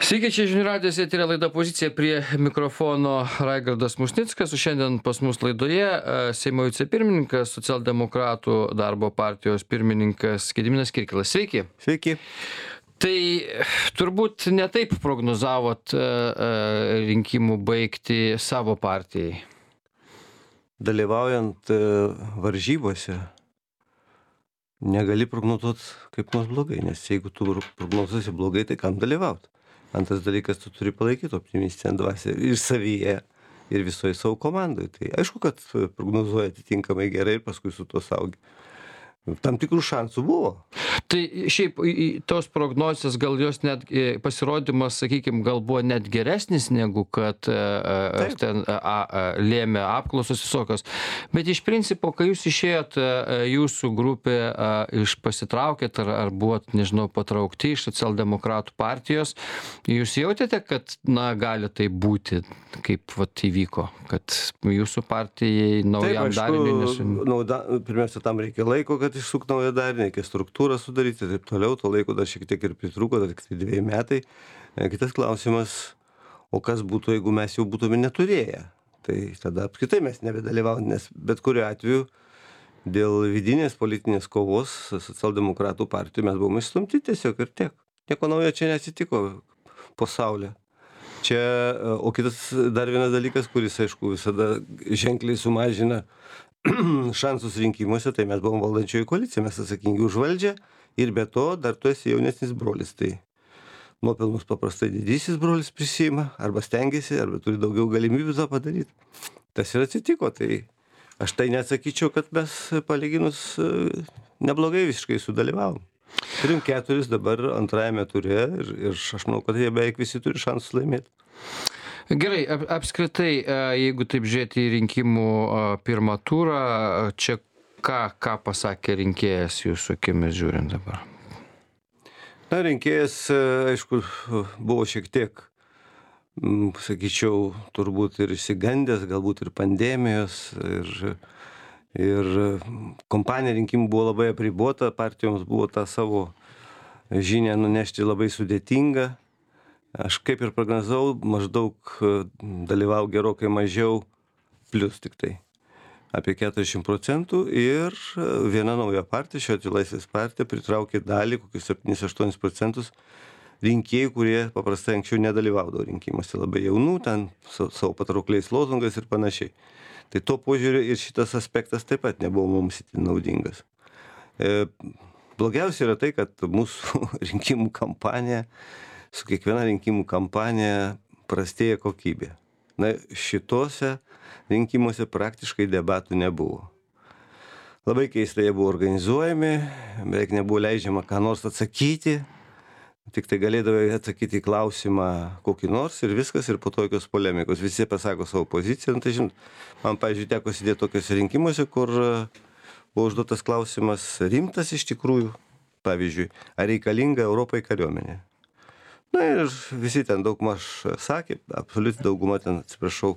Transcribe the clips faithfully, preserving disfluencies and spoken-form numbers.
Sveiki, čia žinių radijas, eteryje laida Pozicija, prie mikrofono Raigardas Musnickas, o šiandien pas mus laidoje e, Seimo vicepirmininkas, socialdemokratų darbo partijos pirmininkas Gediminas Kirkilas. Sveiki. Sveiki. Tai turbūt netaip prognozavot e, e, rinkimų baigti savo partijai. Dalyvaujant e, varžybose negali prognozuoti kaip nors blogai, nes jeigu tu prognozuosi blogai, tai kam dalyvauti? Antras dalykas, tu turi palaikyti optimistinę dvasią ir savyje, ir visoje savo komandai. Tai aišku, kad prognozuoja atitinkamai gerai ir paskui su to saugi. Tam tikrų šansų buvo. Tai šiaip į- į tos prognozės gal jos net e, pasirodymas, sakykime, gal buvo net geresnis negu kad e, e, Taip. ten a, a, lėmė apklausos visokios. Bet iš principo, kai jūs išėjot, e, jūsų grupė a, iš pasitraukėt ar, ar buvot, nežinau, patraukti iš socialdemokratų partijos, jūs jautėte, kad, na, gali tai būti, kaip vat įvyko, kad jūsų partijai naujam dariniui nesu... nauda, pirmiausia, tam reikia laiko, kad išsuk naują darinį, reikia struktūrą sudaryti ir taip toliau, to laiko dar šiek tiek ir pritrūko, dar tik tai dviejai metai. E, Kitas klausimas, o kas būtų, jeigu mes jau būtume neturėję? Tai tada apskritai mes nebedalyvaujame, nes bet kuriuo atveju dėl vidinės politinės kovos socialdemokratų partijų mes buvome išstumti tiesiog ir tiek. Nieko naujo čia neatsitiko po saulė. Čia, e, o kitas dar vienas dalykas, kuris, aišku, visada ženkliai sumažina šansus rinkimuose, tai mes buvom valdančioji koalicija, mes atsakingi už valdžią ir be to dar tu esi jaunesnis brolis. Tai nuopelnus paprastai didysis brolis prisima, arba stengiasi, arba turi daugiau galimybių tą padaryti. Tas ir atsitiko, tai aš tai neatsakyčiau, kad mes palyginus e, neblogai visiškai sudalyvavom. Turim keturis dabar antrajame ture ir, ir aš manau, kad jie beveik visi turi šansus laimėti. Gerai, ap, apskritai, e, jeigu taip žiūrėti į rinkimų e, pirmą turą, e, čia ką, ką pasakė rinkėjas jūsų akimis žiūrint dabar? Na, rinkėjas, e, aišku, buvo šiek tiek, m, sakyčiau, turbūt ir išsigandęs, galbūt ir pandemijos, ir, ir kompanija rinkimų buvo labai apribota, partijoms buvo tą savo žinią nunešti labai sudėtinga. Aš kaip ir prognozavau, maždaug e, dalyvau gerokai mažiau, plius tik tai apie keturiasdešimt procentų ir e, viena nauja partija, šiuo atveju Laisvės partija, pritraukė dalį, kokius septynis aštuonis procentus rinkėjų, kurie paprastai anksčiau nedalyvaudavo rinkimuose, labai jaunų, ten su savo patraukliais lozungais ir panašiai. Tai tuo požiūriu ir šitas aspektas taip pat nebuvo mums itin naudingas. E, blogiausia yra tai, kad mūsų rinkimų kampanija, su kiekviena rinkimų kampanija prastėja kokybė. Na, šituose rinkimuose praktiškai debatų nebuvo. Labai keistai jie buvo organizuojami, beveik nebuvo leidžiama ką nors atsakyti, tik tai galėdavai atsakyti į klausimą kokį nors ir viskas, ir po to jokios polemikos. Visi pasako savo poziciją. Nu, tai, žinot, man, pavyzdžiui, teko sėdėti tokiuose rinkimuose, kur e, buvo užduotas klausimas rimtas iš tikrųjų, pavyzdžiui, ar reikalinga Europai kariuomenė. Na ir visi ten daug maž sakė, absoliuti dauguma ten, atsiprašau,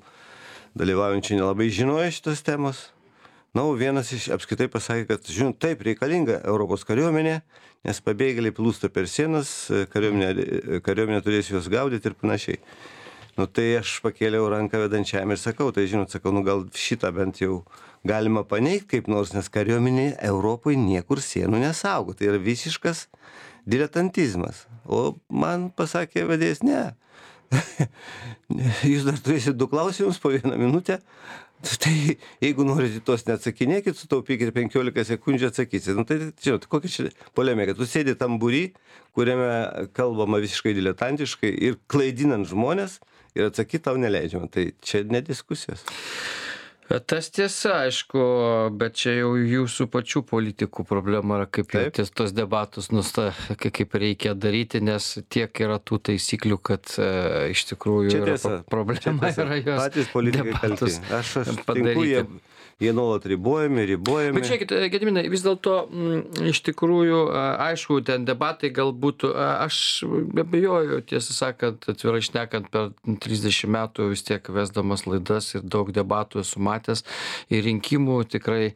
dalyvaujančiai nelabai žinojo šitos temos. Na, o vienas iš apskritai pasakė, kad, žinot, taip reikalinga Europos kariuomenė, nes pabėgėliai plūsta per sienas, kariuomenė, kariuomenė turės juos gaudyti ir panašiai. Nu, tai aš pakėliau ranką vedančiam ir sakau, tai, žinot, sakau, nu gal šitą bent jau galima paneigti kaip nors, nes kariuomenė Europoje niekur sienų nesaugo. Tai yra visiškas diletantizmas. O man pasakė vedėjas, ne. Jūs dar turėsit du klausimus po vieną minutę. Tai jeigu norite tos neatsakinėkit, sutaupykit penkiolika sekundžių atsakysit. Nu, tai, žinot, kokia čia polemika. Tu sėdi tam būry, kuriame kalbama visiškai diletantiškai ir klaidinant žmonės ir atsakyti tau neleidžiama. Tai čia ne diskusijos. Tas tiesa, aišku, bet čia jau jūsų pačių politikų problema yra, kaip jau Taip. ties tos debatus nusta, ka- kaip reikia daryti, nes tiek yra tų taisyklių, kad e, iš tikrųjų Čia yra tiesa. pro- problema Čia tiesa. yra jos Patys politikai kalti. debatus Aš, aš sutinku, padaryti. jie, Jie nuolat ribojami, ribojami. Bet žiūrėkit, Gediminai, vis dėlto m, iš tikrųjų, a, aišku, ten debatai galbūt, a, aš abejoju, tiesą sakant, atvirai šnekant, per trisdešimt metų vis tiek vesdamas laidas ir daug debatų esu matęs ir rinkimų tikrai,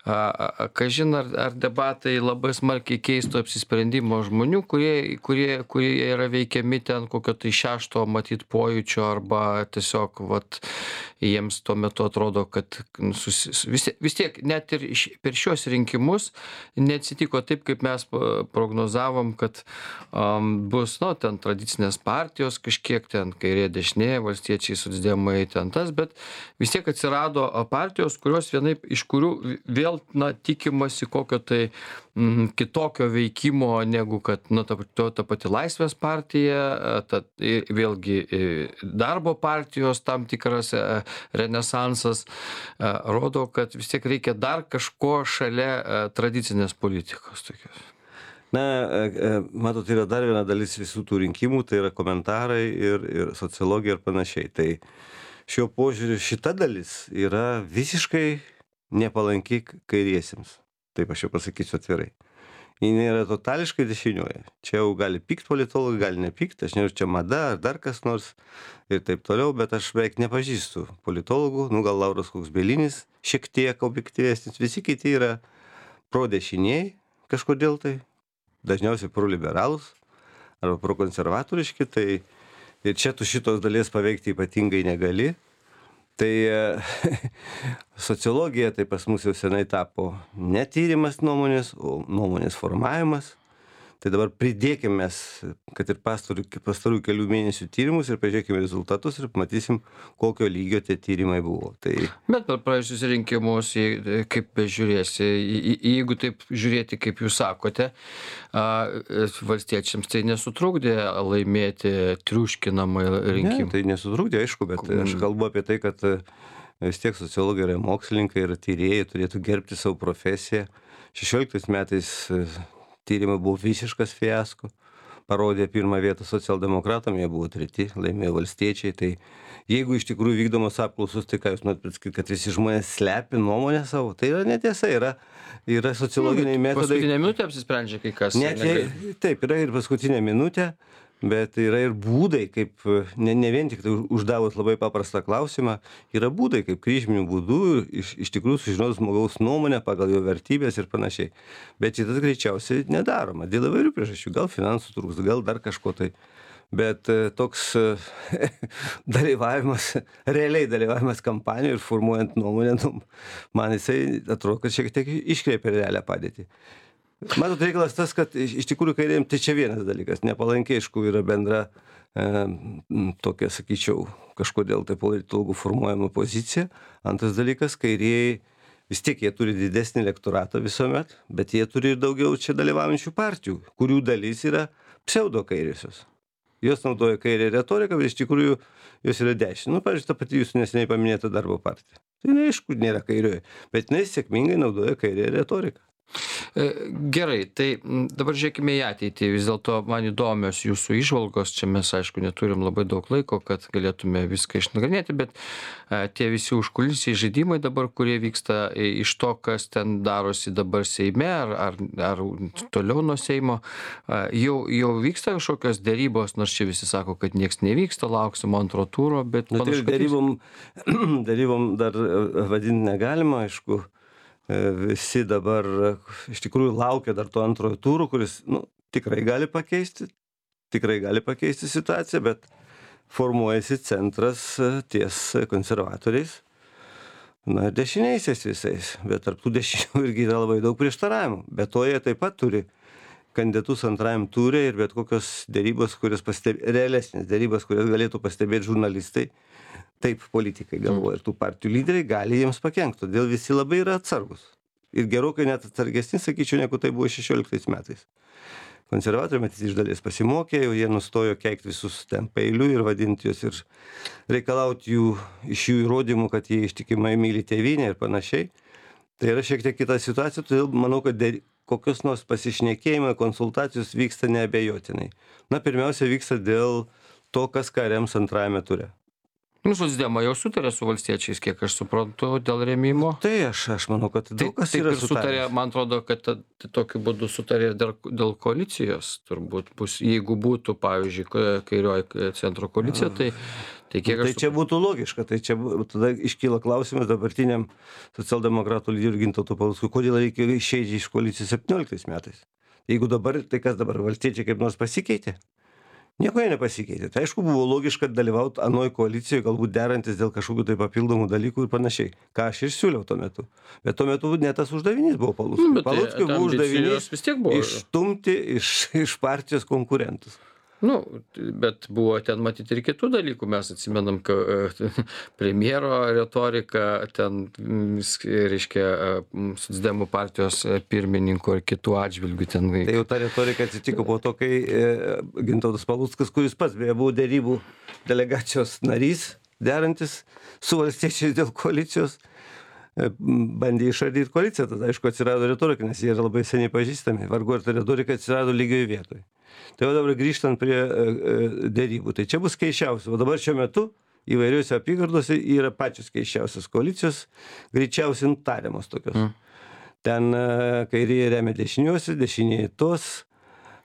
a, a, kažin ar, ar debatai labai smarkiai keistų apsisprendimo žmonių, kurie, kurie, kurie yra veikiami ten kokio tai šešto matyt pojūčio arba tiesiog, vat, jiems tuo metu atrodo, kad susi, vis, vis tiek net ir š- per šios rinkimus neatsitiko taip, kaip mes pa- prognozavom, kad um, bus, nu, ten tradicinės partijos kažkiek ten kairė dešinė, valstiečiai, socdemai, ten tas, bet vis tiek atsirado a, partijos, kurios vienaip, iš kurių v- vėl, na, tikimasi kokio tai mm, kitokio veikimo negu kad, nu, ta, ta, ta pati Laisvės partija, a, ta, i- vėlgi i, darbo partijos tam tikras a, renesansas a, rodo, kad vis tiek reikia dar kažko šalia a, tradicinės politikos tokios. Na, e, e, matot, yra dar viena dalis visų tų rinkimų, tai yra komentarai ir, ir sociologija ir panašiai. Tai šiuo požiūriu šita dalis yra visiškai nepalanki kairiesiems. Taip aš jau pasakysiu atvirai. Ji nėra totališkai dešinioji. Čia jau gali pykt politologai, gali nepykt, aš nežinau, čia mada ar dar kas nors ir taip toliau, bet aš beveik nepažįstu politologų, nu gal Lauras koks Bielinis, šiek tiek objektyvesnis, visi kiti yra pro-dešiniai kažkodėl tai, dažniausiai pro-liberalus arba pro-konservatoriški, tai ir čia tu šitos dalies paveikti ypatingai negali. Tai e, sociologija tai pas mus jau senai tapo ne tyrimas nuomonės, o nuomonės formavimas. Tai dabar pridėkime mes, kad ir pastarų, pastarų kelių mėnesių tyrimus ir pažiūrėkime rezultatus ir matysim, kokio lygio tie tyrimai buvo. Tai Bet per praėjusius rinkimus, jei- kaip bežiūrėsi, į- į- jeigu taip žiūrėti, kaip jūs sakote, a, valstiečiams tai nesutrukdė laimėti triuškinamai ne, rinkimų. tai nesutrukdė, aišku, bet aš kalbu apie tai, kad e, vis tiek sociologai yra mokslininkai ir tyrėjai, turėtų gerbti savo profesiją. šešioliktais metais e, tyrimai buvo visiškas fiasko. Parodė pirmą vietą socialdemokratam, jie buvo treti, laimėjo valstiečiai. Tai jeigu iš tikrųjų vykdomos apklausos, tai ką jūs norit pasakyti, kad visi žmonės slepi nuomonę savo? Tai yra netiesa, yra, yra sociologiniai metodai. Paskutinę minutę apsisprendžia kai kas. Net negali- jei, taip, yra ir paskutinė minutė, bet yra ir būdai, kaip, ne, ne vien tik tai uždavus labai paprastą klausimą, yra būdai, kaip kryžminių būdų iš, iš tikrųjų sužinoti žmogaus nuomonę pagal jo vertybės ir panašiai. Bet šitas greičiausiai nedaroma, dėl įvairių priežasčių, gal finansų trūks, gal dar kažko tai. Bet e, toks e, dalyvavimas, realiai dalyvavimas kampanijoje ir formuojant nuomonę, nu, man jisai atrodo, kad šiek tiek iškreipia realią padėtį. Matot, reikalas tas, kad iš iš tikrųjų kairėm, tai čia vienas dalykas, nepalankiai, aišku, yra bendra e, m, tokia, sakyčiau, kažkodėl tai politologų formuojama pozicija. Antras dalykas, kairieji vis tiek jie turi didesnį elektoratą visuomet, bet jie turi ir daugiau čia dalyvaujančių partijų, kurių dalis yra pseudo kairiosios. Jos naudoja kairę retoriką, bet iš tikrųjų jos yra dešinė. Nu, pavyzdžiui, ta pati jūsų neseniai paminėta darbo partija. Tai jinai, aišku, nėra kairioji, bet jinai sėkmingai naudoja kairę retoriką. E, Gerai, tai m, dabar žiūrėkime į ateitį. Vis dėlto man įdomios jūsų išvalgos. Čia mes, aišku, neturim labai daug laiko, kad galėtume viską išnagrinėti, bet e, tie visi užkulisiai žaidimai dabar, kurie vyksta e, iš to, kas ten darosi dabar Seime ar, ar, ar toliau nuo Seimo, e, jau, jau vyksta kažkokios dėrybos, nors čia visi sako, kad nieks nevyksta, lauksim antro turo, bet Nu, tai panašu, kad darybom, darybom dar e, vadinti negalima, aišku. E, Visi dabar e, iš tikrųjų laukia dar to antrojo turo, kuris nu, tikrai gali pakeisti, tikrai gali pakeisti situaciją, bet formuojasi centras e, ties konservatoriais, na, dešiniaisiais visais, bet tarp tų dešinių irgi yra labai daug prieštaravimų. Bet to jie taip pat turi kandidatus antrajam turė ir bet kokios dėrybos, kurias pastebė, realesnės dėrybos, kurias galėtų pastebėti žurnalistai, taip politikai galvoja ir tų partijų lyderiai gali jiems pakenkti. Todėl visi labai yra atsargus. Ir gerokai net atsargesni, sakyčiau, negu tai buvo šešioliktais metais. Konservatoriai matys iš dalies pasimokė, jau jie nustojo keikti visus ten pailių ir vadinti juos ir reikalauti jų, iš jų įrodymų, kad jie ištikimai myli tėvynę ir panašiai. Tai yra šiek tiek kita situacija, todėl manau, kad dėl kokios nors pasišnekėjimai, konsultacijos vyksta neabejotinai. Na, pirmiausia, vyksta dėl to, kas ką rems antrajame ture. Nu, socdemai jau sutarė su valstiečiais, kiek aš suprantu, dėl rėmimo. Tai aš, aš manau, kad daug kas Taip yra ir sutarė, sutaręs. man atrodo, kad ta- tai tokiu būdu sutarė dėl, dėl koalicijos, turbūt bus, jeigu būtų, pavyzdžiui, ka- kairioji centro koalicija, tai, tai kiek Tai aš čia būtų logiška, tai čia bu- tada iškyla klausimas dabartiniam socialdemokratų lyderiui Gintautui Paluckui, kodėl reikėjo išeiti iš koalicijos septynioliktais metais. Jeigu dabar, tai kas dabar, valstiečiai kaip nors pasikeitė? Nieko jie nepasikeitė. Tai aišku, buvo logiška dalyvauti anoj koalicijoje, galbūt derantis dėl kažkokių tai papildomų dalykų ir panašiai. Ką aš ir siūliau tuo metu. Bet tuo metu ne tas uždavinys buvo Paluckui. Nu, bet tai- Paluckui ta buvo ambicijos uždavinys vis tiek buvo. išstumti iš, iš partijos konkurentus. Nu, bet buvo ten matyti ir kitų dalykų. Mes atsimenam, kad premjero retorika, ten, mm, sk- reiškia, mm, socdemų partijos e, pirmininko ir kitų atžvilgių ten. Tai jau ta retorika atsitiko po to, kai e, Gintautas Paluckas, kuris pats beje buvo dėrybų delegacijos narys, derantis su valstiečiais dėl koalicijos, e, bandė išardyti koaliciją. Tada, aišku, atsirado retorika, nes jie yra labai seniai pažįstami. Vargu ar ta retorika atsirado lygioje vietoje. Tai jau dabar grįžtant prie e, e, dėrybų. Tai čia bus keiščiausia. O dabar šiuo metu įvairiuose apygardose yra pačios keiščiausios koalicijos, greičiausiai nutariamos tokios. Mm. Ten e, kairieji remia dešiniuosius, dešinieji tos.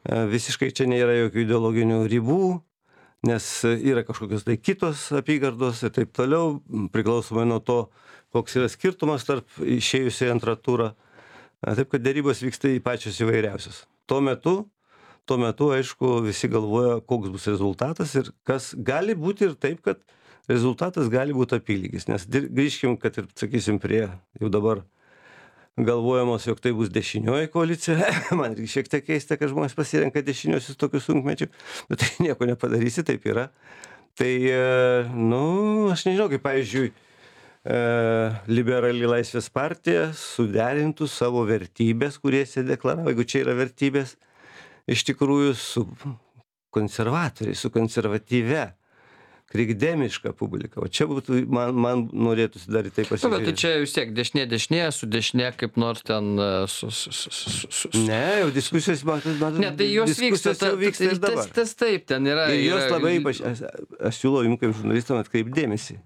E, visiškai čia nėra jokių ideologinių ribų, nes yra kažkokios tai kitos apygardos ir taip toliau, priklausomai nuo to, koks yra skirtumas tarp išėjusiai antrą turą. E, Taip, kad dėrybos vyksta į pačios įvairiausios. Tuo metu Tuo metu, aišku, visi galvoja, koks bus rezultatas ir kas gali būti ir taip, kad rezultatas gali būti apylygis. Nes dir- grįžkim, kad ir, sakysim, prie jau dabar galvojamos, jog tai bus dešinioji koalicija. Man irgi šiek tiek keista, kad žmonės pasirenka dešiniosius tokius sunkmečių, bet tai nieko nepadarysi, taip yra. Tai, e, nu, aš nežinau, kaip, pavyzdžiui, e, liberali Laisvės partija suderintų savo vertybės, kurie jie deklaravo, jeigu čia yra vertybės, iš tikrųjų su konservatoriais, su konservatyve, krikdemiška publika. O čia būtų, man, man norėtųsi dar į tai Nu, bet tai pasižiūrėti. čia vis tiek dešinė dešinė, su dešinė kaip nors ten e, su... su, su, su, su, su. Ne, jau diskusijos, matot, matot, Ne, tai jos vyksta, diskusijos jau vyksta ir tas, dabar. tas taip, ten yra. Ir jos yra- labai, ypač, aš, aš siūlau jums kaip žurnalistam atkreipdėmėsi,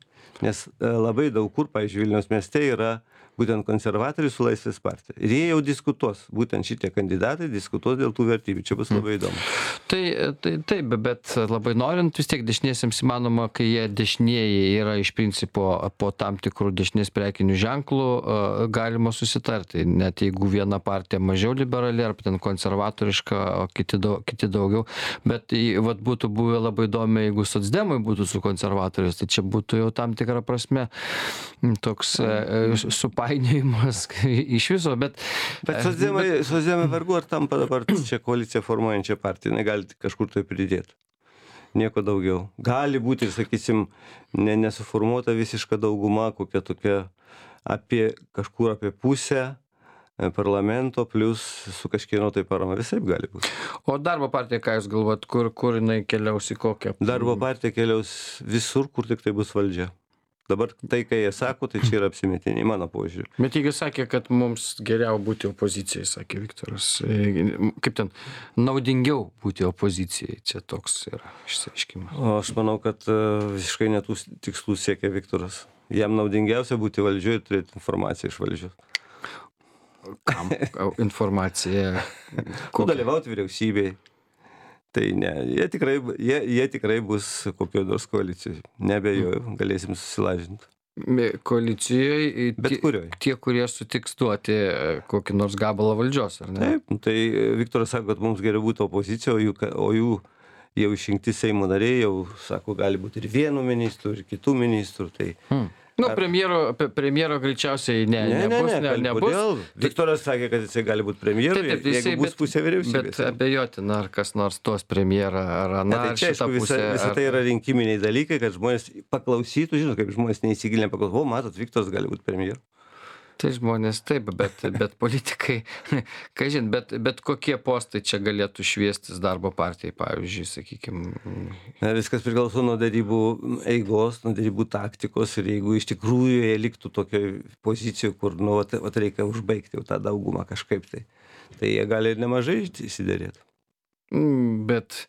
nes e, labai daug kur, pavyzdžiui, Vilniaus mieste yra būtent konservatoriai su Laisvės partija. Ir jie jau diskutuos, būtent šitie kandidatai diskutuos dėl tų vertybių. Čia bus labai įdomu. Tai, tai taip, bet labai norint vis tiek dešiniesiems įmanoma, kai jie dešinieji yra iš principo po tam tikrų dešinės prekinių ženklų, e, galima susitarti. Net jeigu viena partija mažiau liberali ar ten konservatoriška, o kiti, daug, kiti daugiau. Bet į- vat būtų buvę labai įdomu, jeigu socdemai būtų su konservatoriais, tai čia būtų jau tam tikra prasme m, toks e, e, supainiojimas iš viso. Bet, Bet socdemai, socdemai vargu ar tampa dabar čia koaliciją formuojančią partiją, negali tik kažkur tai pridėti. Nieko daugiau. Gali būti ir, sakysim, ne, nesuformuota visiška dauguma, kokia tokia apie kažkur apie pusę e, parlamento, plus su kažkieno tai parama. Visaip gali būti. o darbo partija, ką jūs galvojat, kur, kur jinai keliaus į kokią? Darbo partija keliaus visur, kur tik tai bus valdžia. Dabar tai, kai jie sako, tai čia yra apsimetiniai, mano požiūrį. Bet jeigu sakė, kad mums geriau būti opozicijai, sakė Viktoras. E, Kaip ten, naudingiau būti opozicijai, čia toks yra išsiaiškimas. O aš manau, kad e, visiškai netų tikslų siekia Viktoras. Jam naudingiausia būti valdžioje ir turėti informaciją iš valdžios. Kam informacija? Ko dalyvauti vyriausybėje. Tai ne, jie tikrai, jie, jie tikrai bus kokio nors koalicijoje. Nebejoju, galėsim susilažinti. Koalicijoje Bet tie, kurioj. tie, kurie sutiks duoti e, kokį nors gabalą valdžios, ar ne? Taip, nu tai e, Viktoras sako, kad mums geriau būtų opozicija, o jų, ka- o jų jau išrinkti Seimo nariai jau sako, gali būti ir vienų ministrų, ir kitų ministrų. Tai Hmm. Nu, premjero, pe- premjero greičiausiai ne, ne, ne, nebus, ne, ne, kal- nebus. kodėl? Viktoras sakė, kad jisai gali būti premjeru, Taip, taip, jeigu jisai- bus pusė Bet vyriausybės. abejotina, ar kas nors tos premjerą, ar Ne, aną, tai ar čia, šitą aišku, visa, pusę. visa ar- tai yra rinkiminiai dalykai, kad žmonės paklausytų, žinot, kaip žmonės neįsigilinę paklausytų, o matot, Viktoras gali būti premjeru. Tai žmonės taip, bet, bet politikai, kažin, bet, bet kokie postai čia galėtų šviestis darbo partijai, pavyzdžiui, sakykime. Na, viskas priklauso nuo darybų eigos, nuo darybų taktikos ir jeigu iš tikrųjų jie liktų tokioje pozicijoje, kur, nu, vat, vat reikia užbaigti jau tą daugumą kažkaip tai, tai jie gali ir nemažai įsidėrėti. Mm, Bet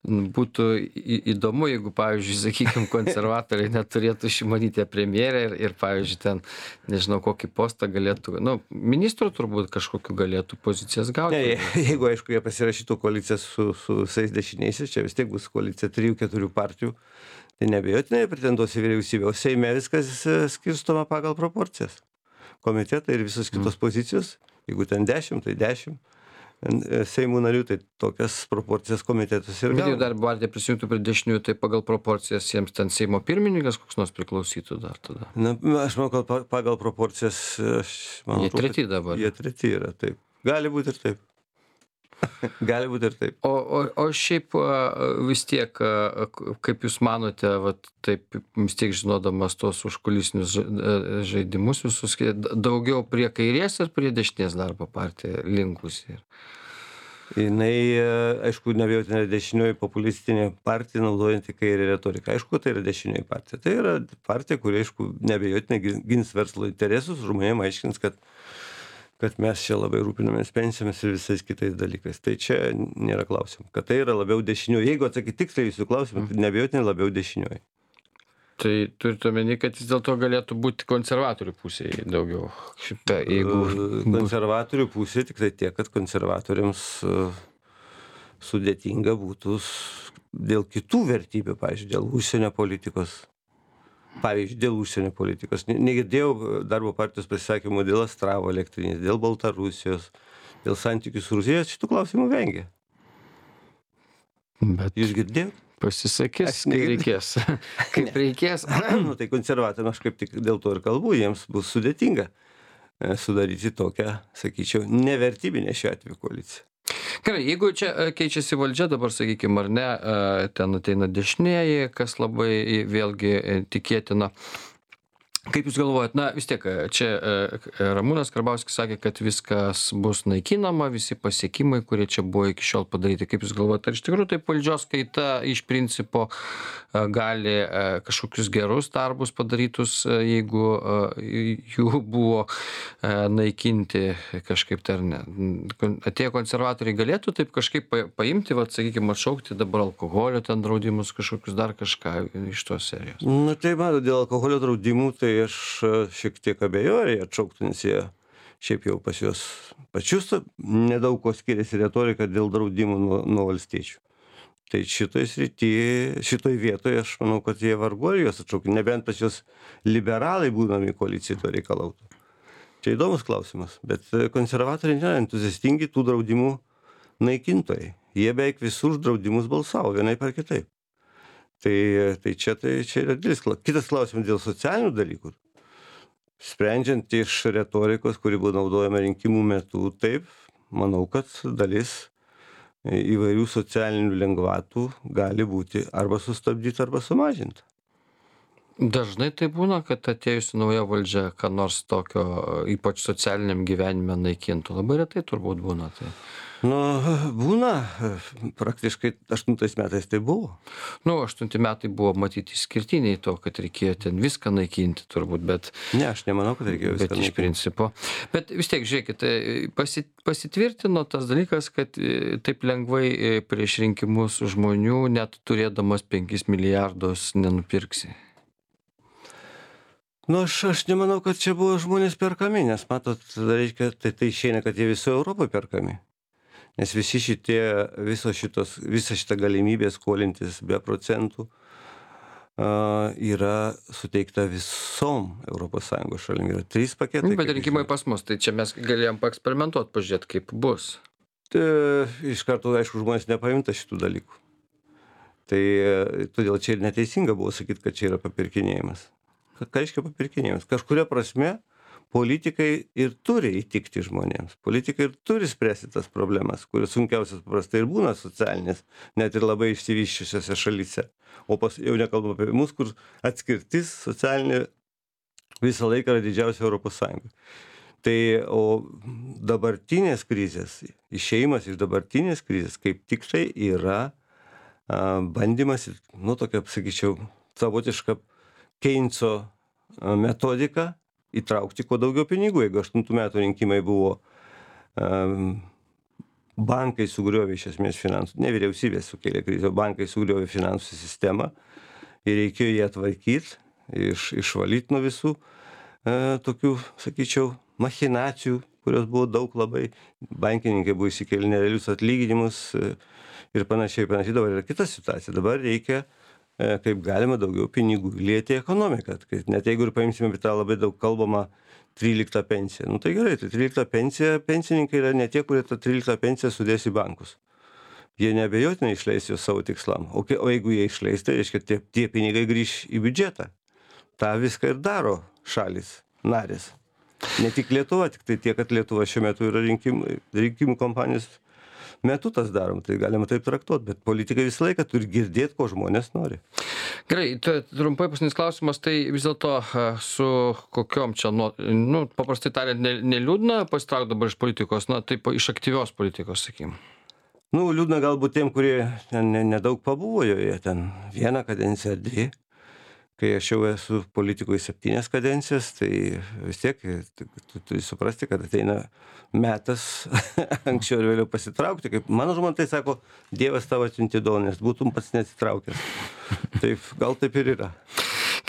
būtų į- įdomu, jeigu, pavyzdžiui, sakykime, konservatoriai neturėtų Šimonytė premjerė ir, ir, pavyzdžiui, ten, nežinau, kokį postą galėtų, nu, ministrų turbūt kažkokiu galėtų pozicijas Ne, gauti. je- jeigu, aišku, jie pasirašytų koaliciją su, su visais dešiniaisiais, čia vis tiek bus koalicija trijų, keturių partijų, tai nebejotinai pretenduos į vyriausybę, o Seime viskas e, skirstoma pagal proporcijas. Komitetai ir visos kitos pozicijos, jeigu ten dešimt, tai dešimt. Seimų narių, tai tokias proporcijas komitetus ir Bet jeigu gauna. dar partija prisijungtų prie dešiniųjų, tai pagal proporcijas jiems ten Seimo pirmininkas koks nors priklausytų dar tada. Na, aš manau, kad pa- pagal proporcijas, aš manau, Jie treti dabar. Jie treti yra, taip. Gali būti ir taip. Gali būti ir taip. O, o, o šiaip a, vis tiek, a, k- kaip Jūs manote, vat, taip vis tiek žinodamas tos užkulisinius ža- a, žaidimus visus, kai d- daugiau prie kairės ar prie dešinės darbo partija linkusi? Jinai, e, aišku, neabejotinai dešinioji populistinė partija, naudojanti kairę retoriką. Aišku, tai yra dešinioji partija. Tai yra partija, kuri, aišku, neabejotinai gin- gins verslo interesus, žmonėms aiškins, kad kad mes čia labai rūpinamės pensijomis ir visais kitais dalykais. Tai čia nėra klausimų. Kad tai yra labiau dešinioji. Jeigu atsakyti tiksliai jūsų klausimą, tai neabejotinai labiau dešinioji. Tai turite omeny, kad vis dėlto galėtų būti konservatorių pusėje daugiau. Šitą, jeigu... E, Konservatorių pusė tik tai tiek, kad konservatoriams e, sudėtinga būtų s- dėl kitų vertybių, pavyzdžiui, dėl užsienio politikos. Pavyzdžiui, dėl užsienio politikos. Ne- Negirdėjau darbo partijos pasisakymų dėl Astravo elektrinės, dėl Baltarusijos, dėl santykių su Rusija. Šitų klausimų vengia. Bet Jūs girdėjote? pasisakys, Aš kai negirdėjau. reikės. Kaip reikės. Nu, tai konservatoriams aš kaip tik dėl to ir kalbu, jiems bus sudėtinga e, sudaryti tokią, sakyčiau, nevertybinę šiuo atveju koaliciją. Gerai, jeigu čia e, keičiasi valdžia dabar, sakykime, ar ne, e, ten ateina dešinieji, kas labai e, vėlgi e, tikėtina. Kaip Jūs galvojat, na vis tiek e, čia e, Ramūnas Karbauskis sakė, kad viskas bus naikinama, visi pasiekimai, kurie čia buvo iki šiol padaryti. Kaip Jūs galvojat, ar iš tikrųjų taip valdžios kaita iš principo e, gali e, kažkokius gerus darbus padarytus, e, jeigu e, jų buvo e, naikinti kažkaip tai ar ne? Kon- Atėję konservatoriai galėtų taip kažkaip pa- paimti, vat, sakykime, atšaukti dabar alkoholio ten draudimus, kažkokius dar kažką iš tos serijos. Na tai matot, dėl alkoholio draudimų, tai aš e, šiek tiek abejoju, ar jie atšauktų, nes jie šiaip jau pas juos pačius nedaug ko skiriasi retorika dėl draudimų nuo, nuo valstiečių. Tai šitoj srity, šitoj vietoje aš manau, kad jie vargu ar juos atšauktų, nebent pas juos liberalai būdami koalicijai to reikalautų. Čia įdomus klausimas, bet e, konservatoriai nėra entuziastingi tų draudimų naikintojai. Jie beveik visus draudimus balsavo, vienaip ar kitaip. Tai, tai čia, tai čia yra didelis klausimas. Kitas klausimas dėl socialinių dalykų. Sprendžiant iš retorikos, kuri buvo naudojama rinkimų metu, taip, manau, kad dalis įvairių socialinių lengvatų gali būti arba sustabdyta, arba sumažinta. Dažnai tai būna, kad atėjusi nauja valdžia, ką nors tokio, ypač socialiniam gyvenime naikintų. Labai retai turbūt būna. Tai. Nu, būna, praktiškai aštuntais metais tai buvo. Nu, aštunti metai buvo matyti išskirtiniai to, kad reikėjo ten viską naikinti turbūt, bet, Ne, aš nemanau, kad reikėjo bet viską iš naikinti. principo. Bet vis tiek, žiūrėkit, e, pasi, pasitvirtino tas dalykas, kad e, taip lengvai e, prieš rinkimus žmonių, net turėdamas penkis milijardus, nenupirksi. Nu, aš, aš nemanau, kad čia buvo žmonės perkami, nes matot, reiškia, tai, tai išeina, kad jie visoje Europoje perkami. Nes visi šitie, visos šitos, visa šita galimybė skolintis be procentų a, yra suteikta visom Europos Sąjungos šalim. Yra trys paketai. Nu, bet kaip rinkimai žinot. pas mus, tai čia mes galėjom paeksperimentuoti, pažiūrėti, kaip bus. Tai, iš karto, aišku, žmonės nepajunta šitų dalykų. Tai e, todėl čia ir neteisinga buvo sakyti, kad čia yra papirkinėjimas. Ką ką reiškia papirkinėjimas? Kažkuria prasme politikai ir turi įtikti žmonėms. Politikai ir turi spręsti tas problemas, kurios sunkiausias paprastai ir būna socialinės, net ir labai išsivyščiusiose šalyse. O pas, jau nekalbam apie mus, kur atskirtis socialinė visą laiką yra didžiausia Europos Sąjungoje. Tai o dabartinės krizės, išėjimas iš dabartinės krizės, kaip tik tai yra a, bandymas, nu tokia, sakyčiau, savotiška Keinso a, metodika įtraukti kuo daugiau pinigų. Jeigu aštuntų metų rinkimai buvo um, bankai sugriovė iš esmės finansų, ne vyriausybė sukėlė krizę, o bankai sugriovė finansų sistemą ir reikėjo ją atvarkyti, iš, išvalyti nuo visų e, tokių, sakyčiau, machinacijų, kurios buvo daug labai, bankininkai buvo įsikėlę nerealius atlyginimus e, ir panašiai, panašiai. Dabar yra kita situacija, dabar reikia e, kaip galima daugiau pinigų įlieti į ekonomiką, kad net jeigu ir paimsime tą labai daug kalbamą tryliktą pensiją. Nu tai gerai, tai tryliktą pensiją, pensininkai yra ne tie, kurie tą tryliktą pensiją sudės į bankus. Jie neabejotinai išleis jos savo tikslam. O, kai, o jeigu jie išleis, tai reiškia, tie, tie pinigai grįš į biudžetą. Ta viską ir daro šalis, narės. Ne tik Lietuva, tik tai tiek, kad Lietuva šiuo metu yra rinkimų, rinkimų kampanijos metu tas darom, tai galima taip traktuoti, bet politikai visą laiką turi girdėti, ko žmonės nori. Gerai, tai trumpai paskutinis klausimas, tai vis dėlto su kokiom čia, nu, nu paprastai tariant, neliūdna pasitraukti dabar iš politikos, na, taip iš aktyvios politikos, sakykim. Nu, liūdna galbūt tiem, kurie ten nedaug pabuvo joje, ten vieną kadenciją ar dvi. Kai aš jau esu politikoje septynias kadencijas, tai vis tiek tu turi suprasti, kad ateina metas anksčiau ir vėliau pasitraukti. Kaip mano žmona tai sako, Dievas tavo atsiuntė dovaną, nes būtum pats neatsitraukęs. Taip, gal taip ir yra.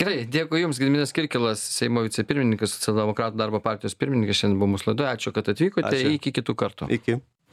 Gerai, dėkui Jums, Gediminas Kirkilas, Seimo vicepirmininkas, Socialdemokratų darbo partijos pirmininkas, šiandien buvo mūsų laidoje. Ačiū, kad atvykote. Ačiū. Iki kitų kartų. Iki.